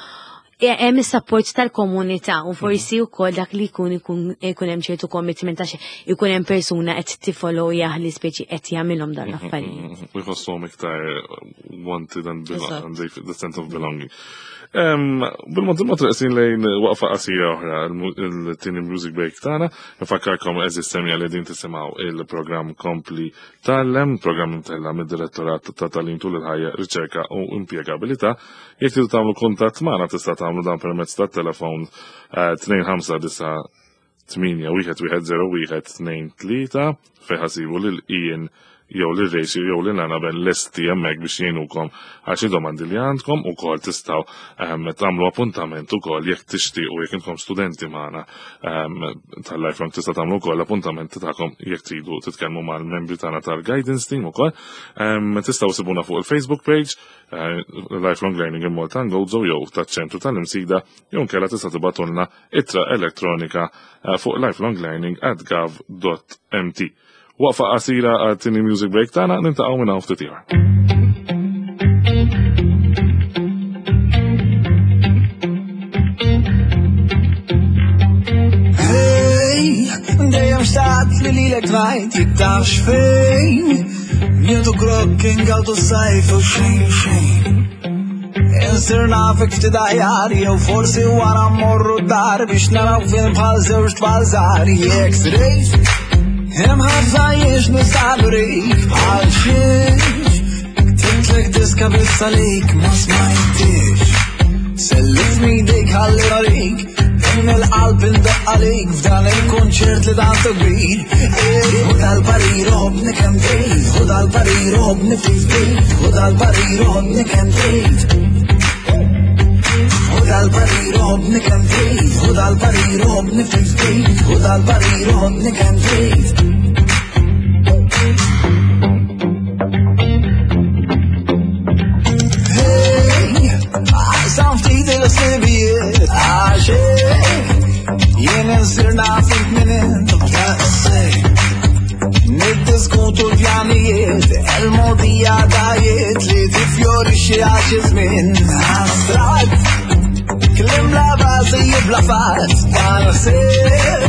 hemm is-support tal-komunità u forsi wkoll dak li jkun ikun ikun hemm ċertu commitment għax ikun hemm persuna qed tifollow li speċi qed jagħmilhom dan l-affarijiet. U jħossuhom iktar wanted and belong, the sense of belonging. Bil-mod il-mod reqsin lejn waqfa qasira oħra, il-tieni music break tagħna, nfakkarkom eżis semja li din tisimgħu il-programm Kompli Tgħallem, programm imtella mid-Direttorat ta' Tagħlim tul il-Ħajja, Riċerka u Impjegabilità. Jekk tridu tagħmlu kuntatt magħna tista' tagħmlu dan permezz tat-telefon 259 8 1 1 0 1 2 3 fejn ħasibu lil Ian jew lil Rachel jew lil Annabel lesti hemmhekk biex jgħinukom għal xi domandi li għandkom ukoll tistgħu ehm, tagħmlu appuntament ukoll jekk tixtiequ jekk intom studenti magħna ehm, tal-lifelong tista' tagħmlu wkoll appuntament tagħkom jekk tridu titkellmu mal-membri tagħna tal-guidance team ukoll. Ehm, tistgħu sibuna fuq il-Facebook page eh, Lifelong Learning in Malta Gozo jew taċ-ċentru tal-Imsida jew nkella tista' tibatulna ittra elettronika eh, fuq lifelonglearning at gov.mt. Waqfa qasira għat-tieni music break tagħna nintaqgħu minn hawn ftit ieħor. Dejjem xtaqt li lilek tfajt jekk tafx fejn. Nieħdu grokk ingawdu s-sajf u xejn xejn. Insir nafek ftit aħjar jew forsi wara mmorru d-dar biex naraw film bħal żewġ tfal żgħar jekk trid. Hemm ħafna jiex nista' nurik bħal xiex. Ktiblek diska biss għalik ma smajtix. Sellifni jdejk ħalli norik. Min il-qalb indoqq għalik f'dan il-kunċert li tant kbir. U dal-parir ħobni kemm trid, u dal-parir ħobni ftit ftit, u dal-parir ħobni kemm trid. U dal-parir ħobni kemm trid, u dal-parir ħobni ftit ftit, u dal-parir ħobni kemm trid. Aqsam ftit il-ħsibijiet għax jien insir naf int min int daqshekk. Niddiskutu l-pjanijiet, il-mogħdija dajiet li tifjorixxi għal xi żmien astratt. Kliem bla bażi bla fatt, dan ħsieb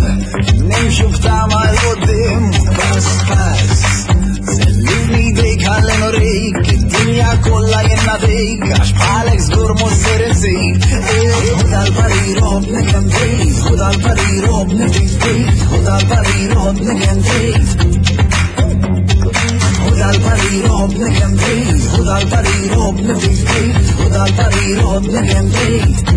nimxu b'tama 'l quddiem pass pass. Sellifni jdejk ħalli nurik id-dinja kollha jien nagħtik għax bħalek żgur mhux ser insib. Ħu dal-parir ħobbni kemm trid, ħu dal-parir ħobbni ftit ftit, ħu dal-parir ħobbni kemm trid. Ħu dal-parir ħobbni kemm trid, ħu dal-parir ħobbni ftit ftit, ħu dal-parir ħobbni kemm trid.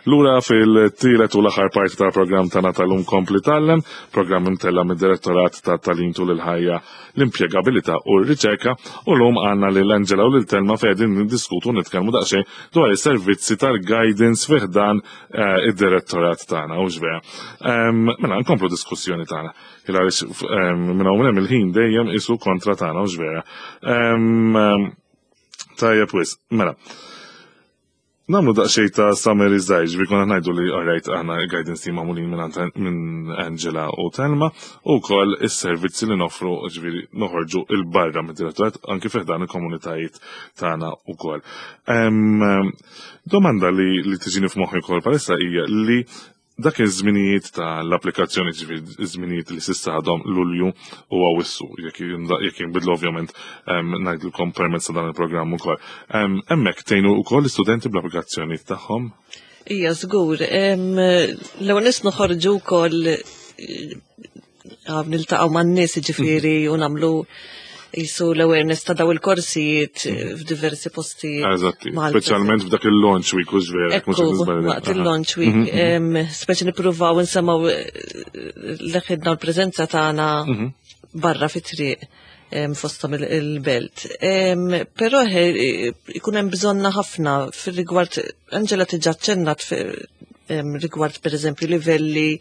Lura fil-tielet u l-aħħar parti tal-programm tagħna tal-lum Kompli Tgħallem, programm imtella' mid-Direttorat ta' Tagħlim tul il-Ħajja, l-Impjegabilità u r-Riċerka, u llum għandna lil Angela u lil Telma fejn qegħdin niddiskutu u nitkellmu daqsxejn dwar is-servizzi tal-guidance fi ħdan eh, id-direttorat tagħna, hux vera. Mela nkomplu diskussjoni tagħna. Il għaliex minn hawn hemm il-ħin dejjem isu kontra tagħna, hux vera. Tajjeb wis, mela. Namlu daqsxejn ta' summary żgħir, ġifieri konna ngħidu li alright aħna guidance team magħmulin minn Angela u Telma u wkoll is-servizzi li noffru ġifieri noħorġu il barra mid-direttorat anki fih dan il-komunitajiet tagħna wkoll. Domanda li, li tiġini f'moħħi wkoll palissa hija li Dak iż-żminijiet tal-applikazzjoni, ġifieri żminijiet li s'issa għadhom Lulju u Awwissu, jekk jinbidlu ovvjament ngħidilkom permezz ta' dan il-programm ukoll. Hemmhekk tgħinu wkoll l-istudenti bl-applikazzjonijiet tagħhom? Ija, żgur. L-ewwel nies noħorġu wkoll niltaqgħu man-nies ġifieri u nagħmlu jisu l-awareness ta' daw il-korsijiet f'diversi postijiet. Eżatti, speċjalment f'dak il-launch week u vera. Ekku, waqt il-launch week, mhm. speċi nippruvaw nsemmaw eh, l-ħidna l-preżenza tagħna mhm. barra fit-triq fostom il-belt. Però ikun hemm bżonna ħafna fir-rigward Angela tiġa ċennat rigward pereżempju livelli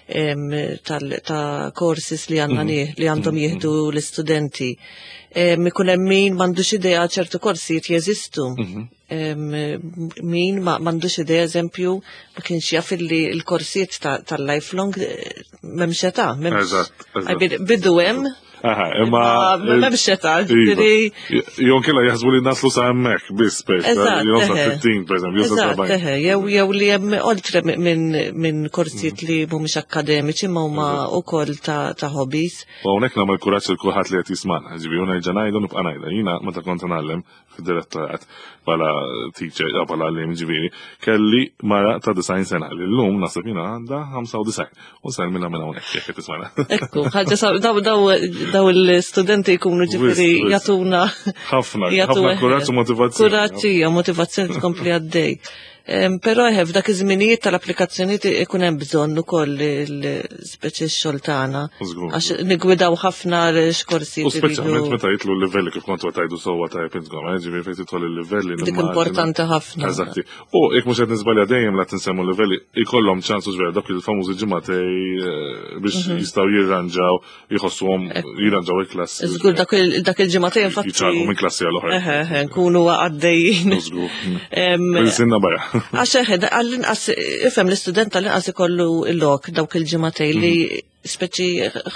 ta' courses li għandna mhm. li għandhom mhm. jieħdu l-istudenti. Ikun hemm min m'għandux idea ċertu korsijiet jeżistu. Mhm. Min m'għandux idea eżempju ma kienx jaf li l-korsijiet tal-lifelong eh, m'hemmx età. Eżatt. Bidu hemm. Aha, imma. M'hemmx età, ġifieri. Jon kella jaħsbu li naslu sa hemmhekk biss per jew sa 60 pereżempju, jew sa 70. Jew jew li hemm oltre minn korsijiet li mhumiex akkademiċi ma huma wkoll ta' hobbies. U hawnhekk nagħmel kuraġġ lil kulħadd li qed jismagħna, ġifieri u nerġa' ngħidu nibqa' ngħidha. Jiena meta kont ngħallem fid-direttorat bħala teacher, eh, bħala għallim ġifieri, kelli mara ta' 90 sena li llum naħseb jiena għandha 95 u nsellmilha minn hawnhekk jekk qed tismana. Ekku, ħaġa daw daw daw l-istudenti jkunu ġifieri jagħtuna ħafna ħafna kuraġġ u motivazzjoni. Kuraġġ hija motivazzjoni tkompli għaddej. Però eħe f'dak iż-żminijiet tal-applikazzjonijiet ikun hemm bżonn ukoll speċi x-xogħol tagħna. Għax nigwidaw ħafna x'korsi. U speċjalment meta jitlu l-livelli kif kontu tajdu sewwa tajjeb intkom, eh, ġifieri fejn tidħol il-livelli. Dik importanti ħafna. Eżatti. U jekk mhux qed niżbalja dejjem la tinsemmu livelli ikollhom ċans u ġvera dak il-famużi ġimgħatej eh, biex mhm. jistgħu jirranġaw jħossuhom jirranġaw il-klassi. Żgur dak il-ġimgħatejn infatti. Jiċċaqlqu minn klassi għal oħra. Eħe, eħe, nkunu għaddejjin. Żgur. Sinna barra. Għax eħe, għall-inqas ifhem l-istudent għall-inqas ikollu l-lok dawk il-ġimgħatejn li mhm. speċi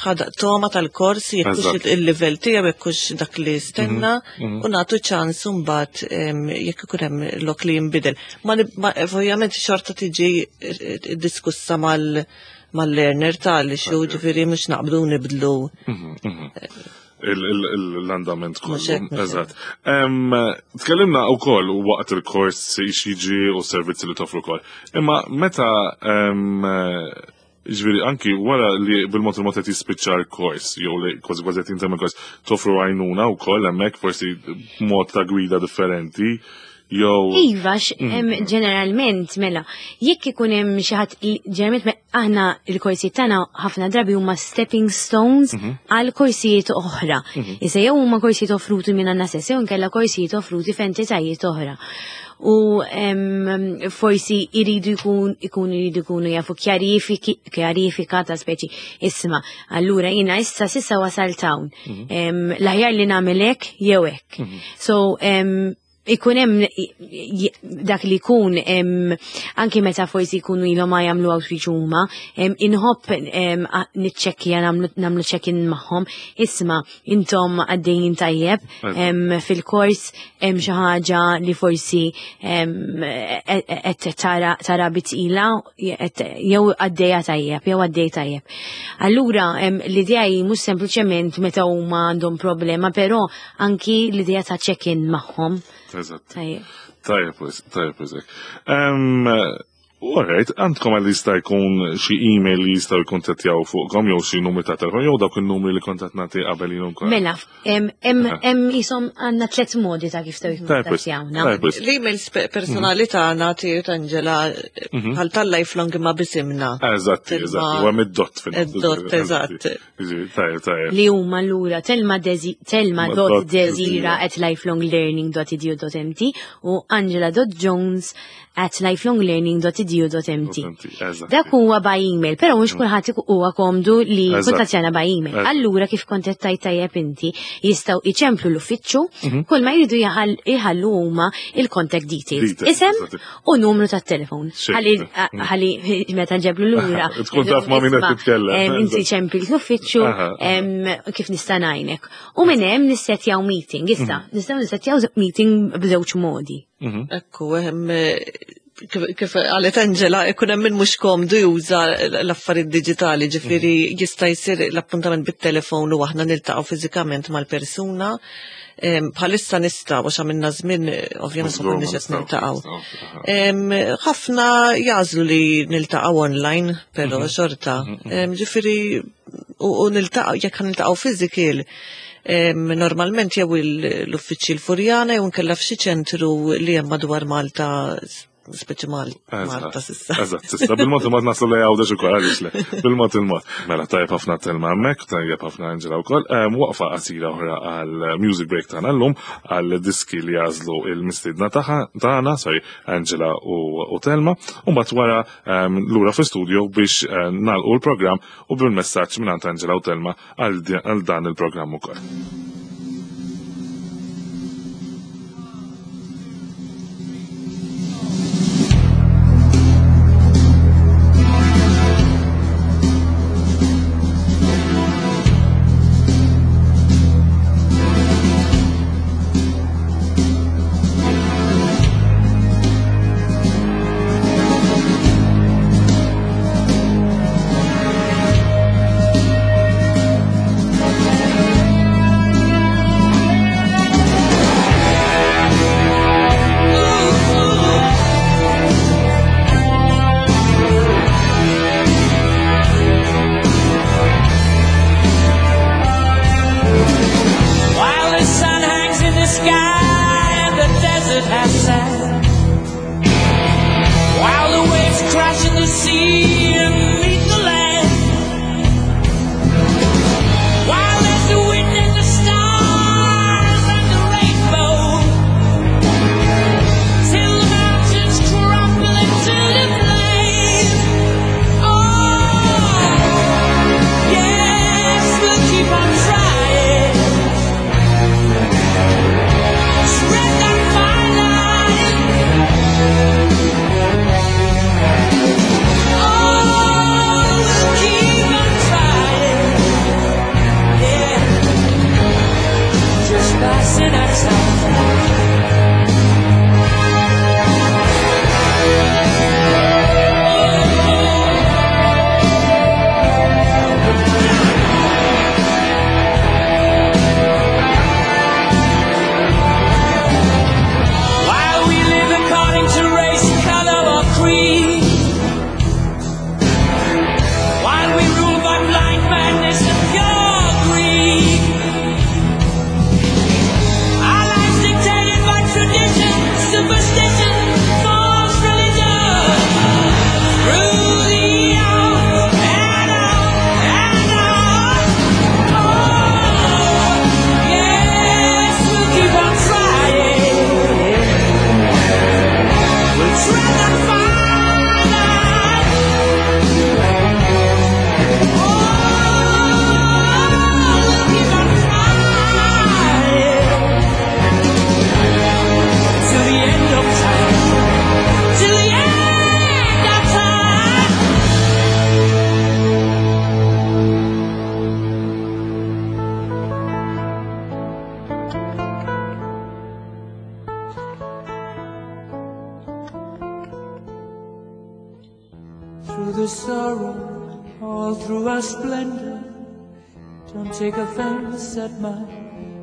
ħada toma tal-kors jekkux il-livell tiegħu jekkux dak li stenna mhm, mhm. u nagħtu ċans imbagħad jekk ikun hemm lok li jinbidel. Ma ovvjament xorta tiġi eh, diskussa mal- mal-learner tal xu ġifiri mux naqbdu nibdlu. Mhm, mhm. L-andament kollu. Eżatt. Tkellimna u koll waqt il-kors xieġi u servizzi li toffru koll. Imma meta ġviri anki wara li bil-mod il-mod qed jispiċċa l-kors, jew li kważi kważi qed jintemm il-kors, toffru għajnuna wkoll hemmhekk forsi mod ta' gwida differenti jew. Iva, mm. ġeneralment, mela, jekk ikun hemm xi ħadd ġeneralment aħna l-korsijiet tagħna ħafna drabi huma stepping stones mhm. għal korsijiet oħra. Mhm. Issa jew huma korsijiet offruti minn għandna stess, jew inkella korsijiet offruti f'entitajiet oħra. U forsi jridu jkun ikun jridu jkunu jafu kjarifika ta' speċi isma' allura jiena issa sissa wasalt hawn. Mhm. L-aħjar li nagħmel hekk jew hekk. So ikun hemm dak li jkun anki meta forsi jkunu ilhom ma jagħmlu outreach huma, inħobb niċċekkja nagħmlu check-in magħhom, isma' intom għaddejjin tajjeb fil-kors hemm xi ħaġa li forsi qed tara bitqila jew għaddejja tajjeb jew għaddej tajjeb. Allura l-idea hi mhux sempliċement meta huma għandhom problema, però anki l-idea ta' check-in magħhom. Eżatt. Tajjeb, tajjeb, tajjeb. Alright, għandkom għal jista' jkun xi email li jistgħu jkuntattjaw fuqkom jew xi numri ta' telefon jew dawk in-numri li kont qed nagħti qabel jien ukoll. Mela, hemm ishom għandna tliet modi ta' kif jistgħu jikkuntattjawna. L-emails personali mhm. tagħna tiegħu Angela mhm. bħal tal-lifelong imma bisimna. Eżatt, eżatt, u hemm id-dot fil Id-dot, eżatt. Li huma lura telma telma dot desira at lifelonglearning.edu.mt u angela dot jones at lifelonglearning.edu.mt. Dak huwa by email, però mhux mm. kulħadd huwa komdu li kuntattjana by email. Allura kif kont qed tajt tajjeb inti, jistgħu iċemplu l-uffiċċju, mhm. kull ma jridu jħallu huma il-contact details. Isem u numru tat-telefon. Ħalli meta ġeblu lura. Tkun taf ma' min qed titkellem. Inti ċempil l-uffiċċju kif nista' ngħinek. U minn hemm nissetjaw meeting. Issa, mhm. nistgħu nissetjaw meeting b'żewġ modi. Mhm. Ekku, hemm Kif qalet Angela, ikun hemm min mhux komdu juża l-affarijiet diġitali, ġifieri jista' jsir l-appuntament bit-telefon u aħna niltaqgħu fiżikament mal-persuna. Bħalissa nistgħu għax għamilna żmien ovvjament ma konniex qed niltaqgħu. Ħafna jagħżlu li niltaqgħu online, però xorta. Ġifieri u niltaqgħu jekk niltaqgħu physical, normalment jew l-uffiċċji l-Furjana jew nkella f'xi ċentru li hemm madwar Malta, speċi Malta s'issa. Eżatt, s'issa bil-mod il-mod naslu li Għawdex ukoll għaliex le. Bil-mod il-mod. Mela tajjeb ħafna Telma hemmhekk, tajjeb ħafna Angela wkoll. Waqfa qasira oħra għal music break tagħna llum għal diski li jagħżlu il-mistiedna tagħna, sorry, Angela u Telma, u mbagħad wara lura fl-istudio biex nagħlqu l-programm u bil-messaġġ mingħand Angela u Telma għal dan il-programm ukoll. While the sun hangs in the sky and the desert has sand, while the waves crash in the sea and meet the land, while there's the wind and the stars and the rainbow, till the mountains crumble into the plain. Oh, yes, we'll keep on trying. Spread that fine line. Oh, we'll keep on trying. Yeah, just passing our time. While we live according to race, color, or creed, while we rule by blind madness and pure greed, our lives dictated by tradition, superstition, false religion, through the hours and on and on. Oh, yes, we'll keep on trying. We'll tread that fine line. Oh, we'll keep on trying till the end of time. Till the end of time. Through the sorrow, all through our splendor, don't take offense at my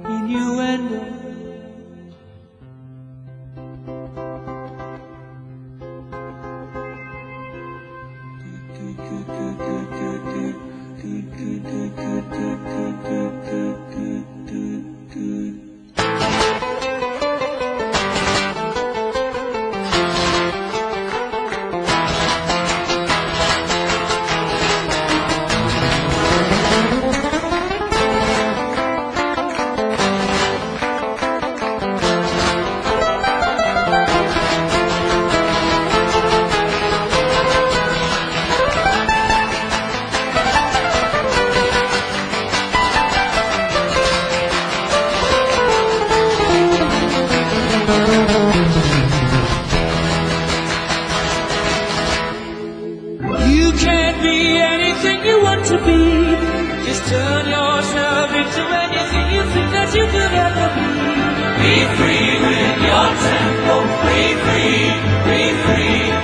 innuendo. You can be anything you want to be. Just turn yourself into anything you think that you could ever be. Be free with your tempo. Be free, be free.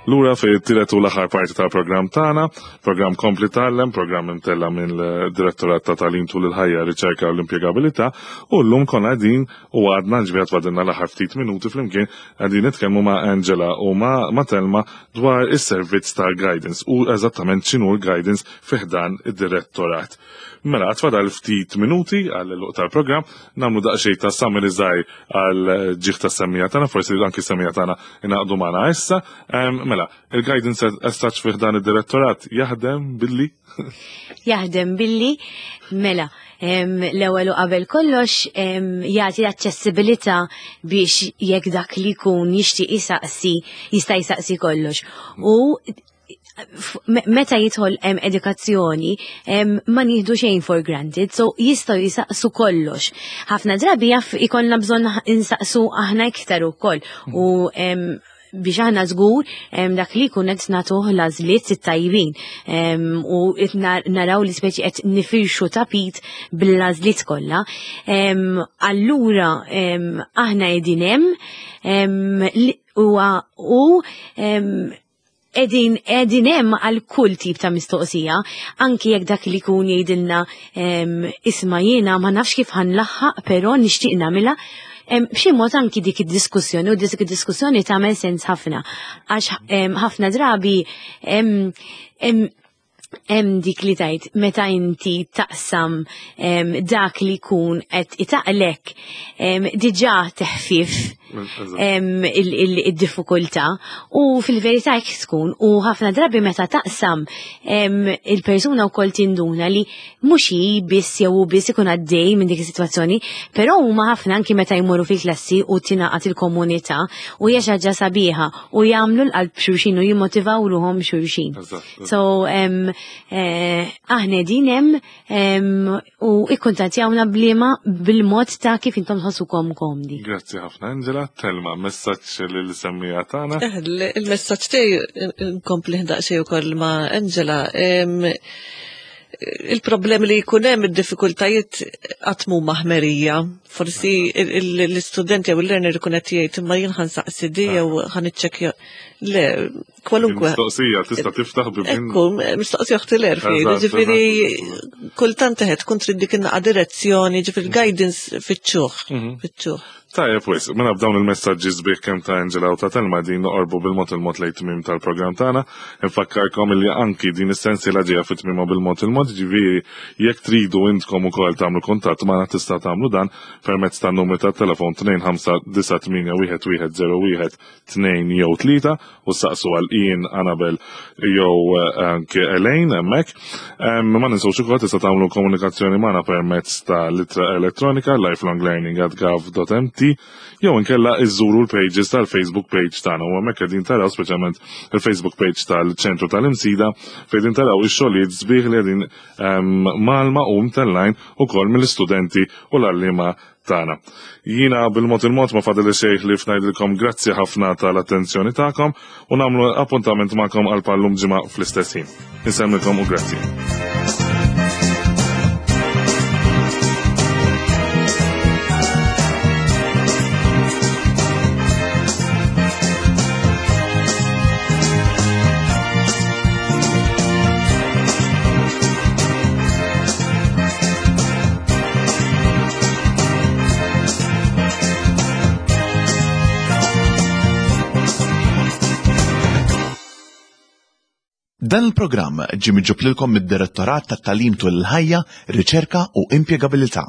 Lura fi tielet u l-aħħar parti tal-programm tagħna, programm Kompli Tgħallem, programm imtella' mill-Direttorat ta' Tagħlim tul il-Ħajja, Riċerka u l-Impjegabilità, u llum konna qegħdin u għadna ġifieri tfadilna l-aħħar ftit minuti flimkien qegħdin nitkellmu ma' Angela u ma' Telma dwar is-servizz tal-guidance u eżattament x'inhu l-guidance fi ħdan id-direttorat. Mela, għad fadal ftit minuti għall-għeluq tal-programm, nagħmlu daqsxejn ta' summary żgħir għal ġieħ tas-semmiegħa tagħna, forsi anki s-semmiegħa tagħna ingħaqdu magħna issa. Mela, il-guidance as such fih dan id-direttorat jaħdem billi? Jaħdem billi, mela, l-ewwel u qabel kollox jagħti aċċessibilità biex jekk dak li jkun jixtieq jisaqsi, jista' jsaqsi kollox. U meta jidħol hemm edukazzjoni ma nieħdu xejn for granted, so jistgħu jisaqsu kollox. Ħafna drabi jaf ikollna bżonn insaqsu aħna iktar ukoll u biex aħna żgur dak li jkun qed nagħtuh l-għażliet it-tajbin u naraw li speċi qed nifirxu tapit bil-għażliet kollha. Allura aħna qegħdin hemm u edin edin hemm għal kull tip ta' mistoqsija, anki jekk dak li jkun jgħidilna isma' jiena ma nafx kif ħanlaħħaq, però nixtieq nagħmilha. B'xi mod anki dik id-diskussjoni u dik id-diskussjoni tagħmel sens ħafna għax ħafna drabi hemm dik li tajt meta inti taqsam dak li jkun qed itaqlek diġà teħfif il-diffikultà u fil-verità hekk tkun u ħafna drabi meta taqsam il-persuna wkoll tinduna li mhux hi biss jew hu biss ikun għaddej minn dik is-sitwazzjoni, però huma ħafna anki meta jmorru fil-klassi u tingħaqad il-komunità u hija xi ħaġa sabiħa u jagħmlu l-qalb xulxin u jimmotivaw ruhom xulxin. So eh, aħna din hemm u ikkuntattjawna bliema bil-mod ta' kif intom tħossukom komdi. Grazzi ħafna Angela, Telma, messaġġ lil semmija tagħna. Eh, il-messaġġ tiegħi nkompli daqsxejn ukoll ma' Angela. Il-problemi li jkun hemm id-diffikultajiet qatt mhuma ħmerija. Forsi l-istudent jew il-learner ikun qed jgħid imma jien ħansaqsi di jew ħaniċċekkja. Le, kwalunkwe. Mistoqsija tista' tiftaħ bi Ekku, mistoqsija oħti l-erfi. Ġifieri kultant teħed tkun trid dik in-naqa direzzjoni, ġifieri guidance fiċ-ċuħ. Mhm. Fiċ-ċuħ. Tajjeb wis, mela b'dawn il-messaġġi sbieħ kemm ta' Angela u ta' Telma din noqorbu bil-mod il-mod lejn tmiem tal-programm tagħna. Infakkarkom illi anki din is-sensiela ġejja fi tmiemha bil-mod il-mod, ġifieri jekk tridu intkom ukoll tagħmlu kuntatt magħna tista' tagħmlu dan permezz tan-numri tat-telefon 2598 1101 2 jew 3 u saqsu għal Ian, Annabel jew eh, anke Elaine hemmhekk. Ma ninsewx ukoll tista' tagħmlu komunikazzjoni magħna permezz ta' litra elettronika lifelonglearning@gov.mt jew inkella iżżuru l-pages tal-Facebook page tagħna u hemmhekk qegħdin taraw speċjalment il-Facebook page tal-ċentru tal-Imsida fejn taraw ix-xogħlijiet sbieħ li qegħdin malma u mtellajn ukoll mill-istudenti u l-għalliema tagħna. Jiena bil-mod il-mod ma fadli xejn li fnajdilkom grazzi ħafna tal-attenzjoni tagħkom u nagħmlu appuntament magħkom għal pallum ġimgħa fl-istess ħin. Insemmilkom u grazzi. Dan il-programm ġie miġġub lilkom mid-Direttorat tat-Tagħlim tul il-Ħajja, Riċerka u Impjegabilità.